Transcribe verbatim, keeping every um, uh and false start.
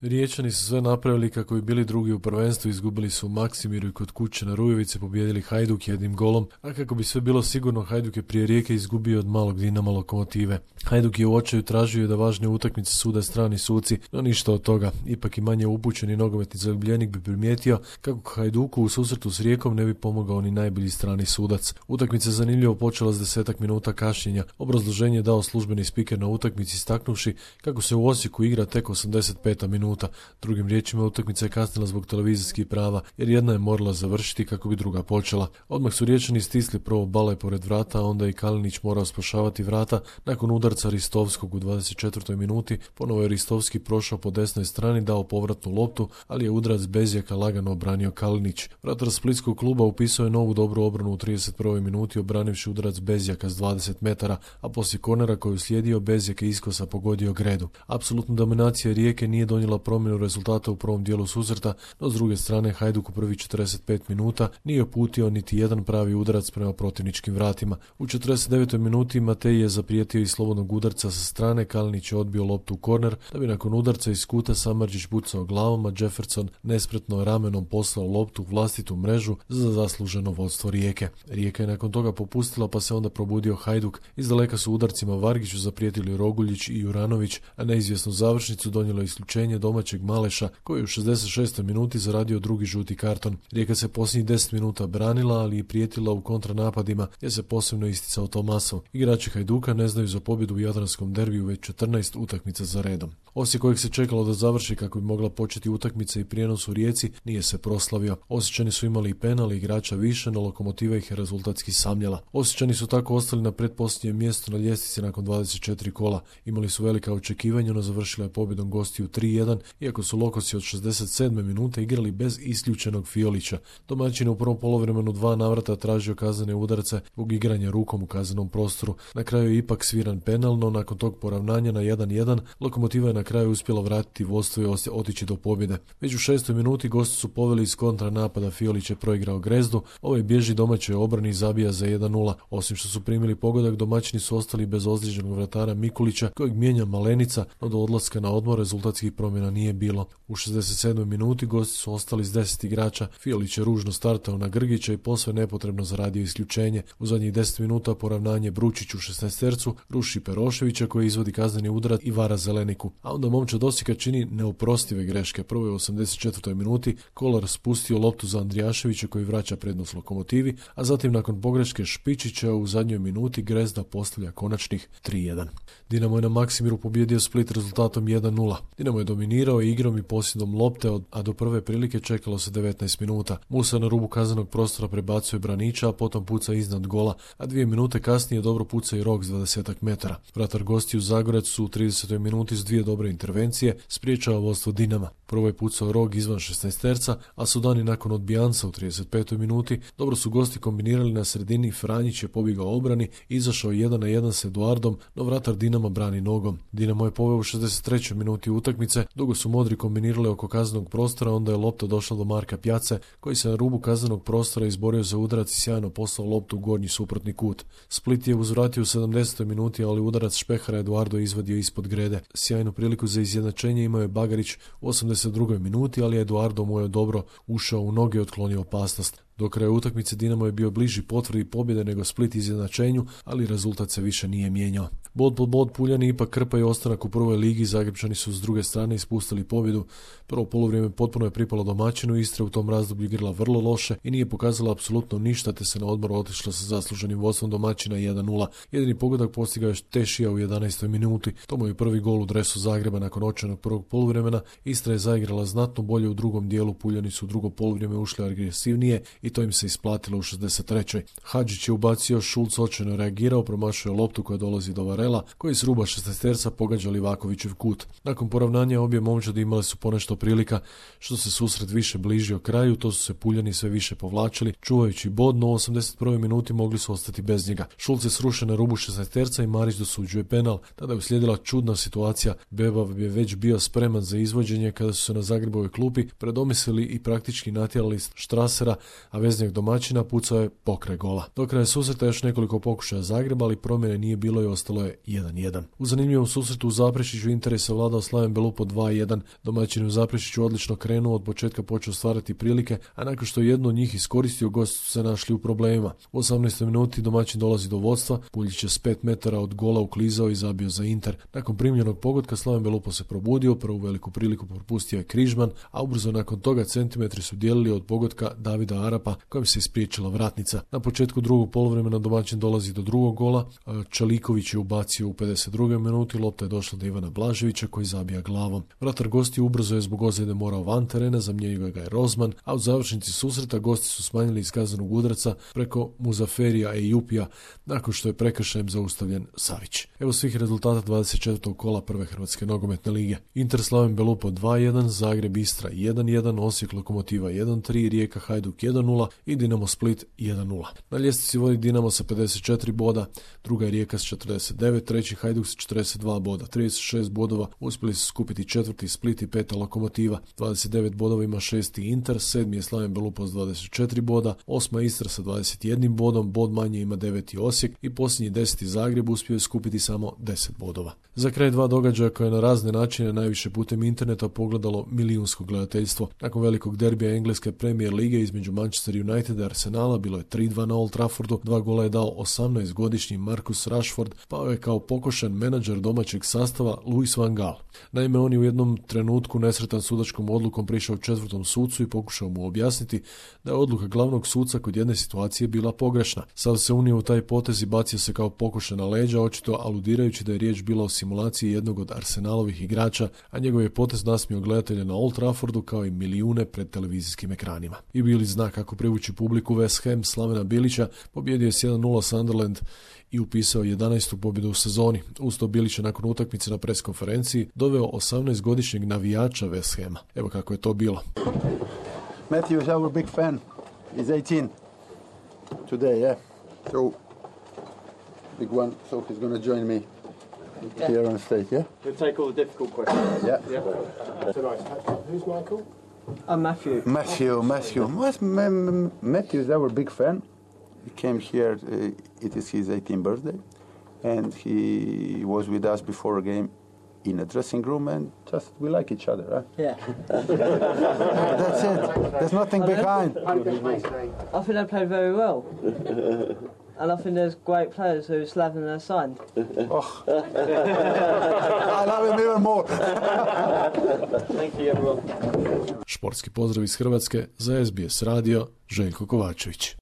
Riječani su sve napravili kako bi bili drugi u prvenstvu, izgubili su u Maksimiru i kod kuće na Rujevici, pobijedili Hajduk jednim golom, a kako bi sve bilo sigurno, Hajduk je prije Rijeke izgubio od malog Dinama Lokomotive. Hajduk je u očaju tražio da važne utakmice sude strani suci, no ništa od toga. Ipak i manje upućeni nogometni zaljubljenik bi primijetio kako Hajduku u susretu s Rijekom ne bi pomogao ni najbolji strani sudac. Utakmica zanimljivo počela s desetak minuta kašnjenja. Obrazloženje je dao službeni spiker na utakmici istaknuvši kako se u Osijeku igra tek osamdeset peta minuta. Drugim riječima, utakmica je kasnila zbog televizijskih prava, jer jedna je morala završiti kako bi druga počela. Odmah su Riječani stisli prvo Bale pored vrata, a onda i Kalinić morao spašavati vrata nakon udarca Ristovskog u dvadeset četvrtoj minuti. Ponovo je Ristovski prošao po desnoj strani, dao povratnu loptu, ali je udarac Bezjaka lagano obranio Kalinić. Vratar splitskog kluba upisao je novu dobru obranu u trideset prvoj minuti, obranivši udarac Bezjaka s dvadeset metara, a poslije kornera koju slijedio Bezjak je iskosa pogodio Gredu. Apsolutna dominacija Rijeke nije donijela promjenu rezultata u prvom dijelu susreta, no s druge strane Hajduk u prvih četrdeset pet minuta nije uputio niti jedan pravi udarac prema protivničkim vratima. U četrdeset devetoj minuti Matej je zaprijetio iz slobodnog udarca sa strane, Kalinić je odbio loptu u korner, da bi nakon udarca iz kuta Samardžić pucao glavom, a Jefferson nespretno ramenom poslao loptu u vlastitu mrežu za zasluženo vodstvo Rijeke. Rijeka je nakon toga popustila, pa se onda probudio Hajduk. Iz daleka su udarcima Vargiću zaprijetili Roguljić i Juranović, a neizvjesnu završnicu donijelo isključenje domaćeg Maleša, koji je u šezdeset šestoj minuti zaradio drugi žuti karton. Rijeka se posljednjih deset minuta branila, ali i prijetila u kontranapadima, gdje se posebno isticao Tomasov. Igrači Hajduka ne znaju za pobjedu u jadranskom derbiju već četrnaest utakmica za redom. Osijek, kojeg se čekalo da završi kako bi mogla početi utakmica i prijenos u Rijeci, nije se proslavio. Osječani su imali i penal i igrača više, no Lokomotiva ih je rezultatski samljela. Osječani su tako ostali na pretposljednjem mjestu na ljestvici nakon dvadeset četiri kola. Imali su velika očekivanja, no završila je pobjedom gostiju tri jedan, iako su Lokosi od šezdeset sedme minute igrali bez isključenog Fiolića. Domaćin u prvom poluvremenu dva navrata tražio kaznene udarce zbog igranja rukom u kaznenom prostoru. Na kraju je ipak sviran penal, no nakon tog poravnanja na jedan jedan Lokomotiva je na kraju uspjela vratiti vodstvo i otići do pobjede. Već u šestoj minuti gosti su poveli iz kontra napada, Fiolić je proigrao Grezdu, ovaj bježi domaćoj obrani i zabija za jedan nula. Osim što su primili pogodak, domaćini su ostali bez ozlijeđenog vratara Mikulića, kojeg mijenja Malenica, no do odlaska na odmor rezultatskih promjena nije bilo. U šezdeset sedmoj minuti gosti su ostali s deset igrača, Fiolić je ružno startao na Grgića i posve nepotrebno zaradio isključenje. U zadnjih deset minuta poravnanje Bručić u šesnaestercu ruši Peroševića koji izvodi kazneni udarac i vara Zeleniku. A onda momčad Osijeka čini neoprostive greške. Prvo je u osamdeset četvrtoj minuti Kolar spustio loptu za Andrijaševića koji vraća prednost Lokomotivi, a zatim nakon pogreške Špičića u zadnjoj minuti Grezda postavlja konačnih tri jedan. Dinamo je na Maksimiru pobjedio Split rezultatom jedan nula. Dinamo je dominirao igrom i posjedom lopte, a do prve prilike čekalo se devetnaest minuta. Musa na rubu kaznenog prostora prebacuje Branića, a potom puca iznad gola, a dvije minute kasnije dobro puca i Rok s dvadesetak metara. Vratar gostiju Zagorec su u tridesetoj minuti s dvije dobre intervencije spriječava vodstvo Dinama. Prvo je pucao Rog izvan šesnaesterca, a Sudani nakon odbijanca u trideset petoj minuti dobro su gosti kombinirali na sredini, Franjić je pobjegao obrani, izašao jedan na jedan s Eduardom, no vratar Dinama brani nogom. Dinamo je poveo u šezdeset trećoj minuti utakmice, dugo su modri kombinirali oko kaznenog prostora, onda je lopta došla do Marka Pjace, koji se na rubu kaznenog prostora izborio za udarac i sjajno poslao loptu u gornji suprotni kut. Split je uzvratio u sedamdesetoj minuti, ali udarac Špehara Eduardo izvadio ispod grede. Sjajnu priliku za izjednačenje imao je Bagarić u osamdeset drugoj minuti, ali Eduardo mu je dobro ušao u noge i otklonio opasnost. Do kraja utakmice Dinamo je bio bliži potvrdi pobjede nego Split izjednačenju, ali rezultat se više nije mijenjao. Bod pod bod Puljani ipak krpaju ostanak u prvoj ligi, Zagrepčani su s druge strane ispustili pobjedu. Prvo poluvrijeme potpuno je pripalo domaćinu, Istra u tom razdoblju igrala vrlo loše i nije pokazala apsolutno ništa, te se na odmor otišla sa zasluženim vodstvom domaćina jedan nula. Jedini pogodak postigao je Tešija u jedanaestoj minuti. To mu je prvi gol u dresu Zagreba nakon očajnog prvog poluvremena. Istra je zaigrala znatno bolje u drugom dijelu, Puljani su u drugo poluvrijeme ušli agresivnije i to im se isplatilo u šezdeset trećoj. Hadžić je ubacio, Šulc očajno reagirao, promašio loptu koja dolazi do Varela, koji s ruba šesnaesterca pogađa Livakovićev kut. Nakon poravnanja obje momčadi imali su ponešto prilika, što se susret više bližio kraju, to su se Puljani sve više povlačili, čuvajući bod, no u osamdeset prvoj minuti mogli su ostati bez njega. Šulc je srušen na rubu šesnaesterca i Marić dosuđuje penal. Tada je uslijedila čudna situacija. Bebav je već bio spreman za izvođenje kada su se na Zagrebovoj klupi predomislili i praktički natjerali Štrasera, a veznjak domaćina pucao je pokraj gola. Do kraja susreta još nekoliko pokušaja Zagreba, ali promjene nije bilo i ostalo je jedan jedan. U zanimljivom susretu u Zaprešiću interes je vladao Slaven Belupo dva jedan. Domaćin u Zaprešiću odlično krenuo, od početka počeo stvarati prilike, a nakon što je jedno od njih iskoristio, gosti su se našli u problemima. U osamnaestoj minuti domaćin dolazi do vodstva, Puljić je s pet metara od gola uklizao i zabio za Inter. Nakon primljenog pogotka Slaven Belupo se probudio, prvu veliku priliku propustio je Križman, a ubrzo nakon toga centimetri su dijelili od pogotka Davida Arapa kojem se ispriječila vratnica. Na početku drugog poluvremena domaćin dolazi do drugog gola, Čaliković je ubacio u pedeset drugoj minuti, lopta je došla do Ivana Blaževića koji zabija glavom. Vratar gosti ubrzo je zbog ozljede morao van terena, zamijenio ga je Rozman, a u završnici susreta gosti su smanjili iz kaznenog udarca preko Muzaferija Ejupija nakon što je prekršajem zaustavljen Savić. Evo svih rezultata dvadeset četvrtog kola prve Hrvatske nogometne lige. Inter Slaven Belupo dva jedan, Zagreb Istra jedan jedan, Osijek Lokomotiva jedan tri, Rijeka Hajduk jedan nula i Dinamo Split jedan nula. Na ljestvici vodi Dinamo sa pedeset četiri boda, druga je Rijeka s četrdeset devet, treći Hajduk s četrdeset dva boda, trideset šest bodova uspjeli su skupiti četvrti Split i peta Lokomotiva, dvadeset devet bodova ima šesti Inter, sedmi je Slaven Belupo s dvadeset četiri boda, osma Istra sa dvadeset jedan bodom, bod manje ima deveti Osijek i posljednji deseti Zagreb uspio je skupiti samo deset bodova. Za kraj dva događaja koje je na razne načine najviše putem interneta pogledalo milijunsko gledateljstvo. Nakon velikog derbija engleske Premier lige između Manchester United i Arsenala bilo je tri dva na Old Traffordu, dva gola je dao osamnaestogodišnji Marcus Rashford, pao je kao pokošen menadžer domaćeg sastava Louis van Gaal. Naime, on je u jednom trenutku nesretan sudačkom odlukom prišao četvrtom sucu i pokušao mu objasniti da je odluka glavnog suca kod jedne situacije bila pogrešna. Sav se unio u taj potez i bacio se kao pokošen na leđa, očito aludirajući da je riječ bila o simulaciji jednog od Arsenalovih igrača, a njegov je potez nasmio gledatelje na Old Traffordu kao i milijune pred televizijskim ekranima. I bili zna kako privući publiku, West Ham Slavena Bilića pobjedio je s jedan nula Sunderland i upisao jedanaestu pobjedu u sezoni. Uz to Bilić je nakon utakmice na pres konferenciji doveo osamnaestogodišnjeg navijača West Hama. Evo kako je to bilo. Matthew is our big fan. He's eighteen today, yeah. So big one, so he's going to join me here on stage, yeah? He'll take all the difficult questions. Yeah. Yeah. So nice. Who's Michael? I'm Matthew. Matthew, Matthew. Matthew is our big fan. He came here, uh, it is his eighteenth birthday, and he was with us before a game in a dressing room, and just we like each other, huh? Yeah. That's it. There's nothing behind. I think they played very well. And I think there's great players who Slaven have signed. Oh. I love him even more. Thank you, everyone. Športski pozdrav iz Hrvatske za S B S radio, Željko Kovačević.